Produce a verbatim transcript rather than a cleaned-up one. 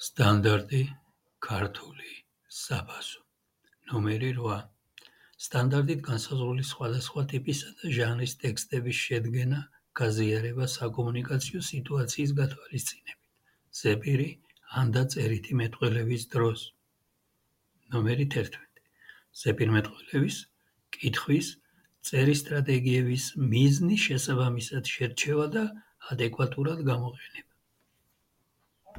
სტანდარტი ქართული საბაზო ნომერი რვა სტანდარტით განსაზღვრული სხვადასხვა ტიპისა და ჟანრის ტექსტების შედგენა, გაზიარება საკომუნიკაციო სიტუაციის გათვალისწინებით, ზეპირი ან და წერითი მეტყველების დროს. ნომერი თერთმეტი ზეპირმეტყველების, კითხვის, წერის სტრატეგიების მიზნის შესაბამისად შერჩევა და ადეკვატურად გამოყენება.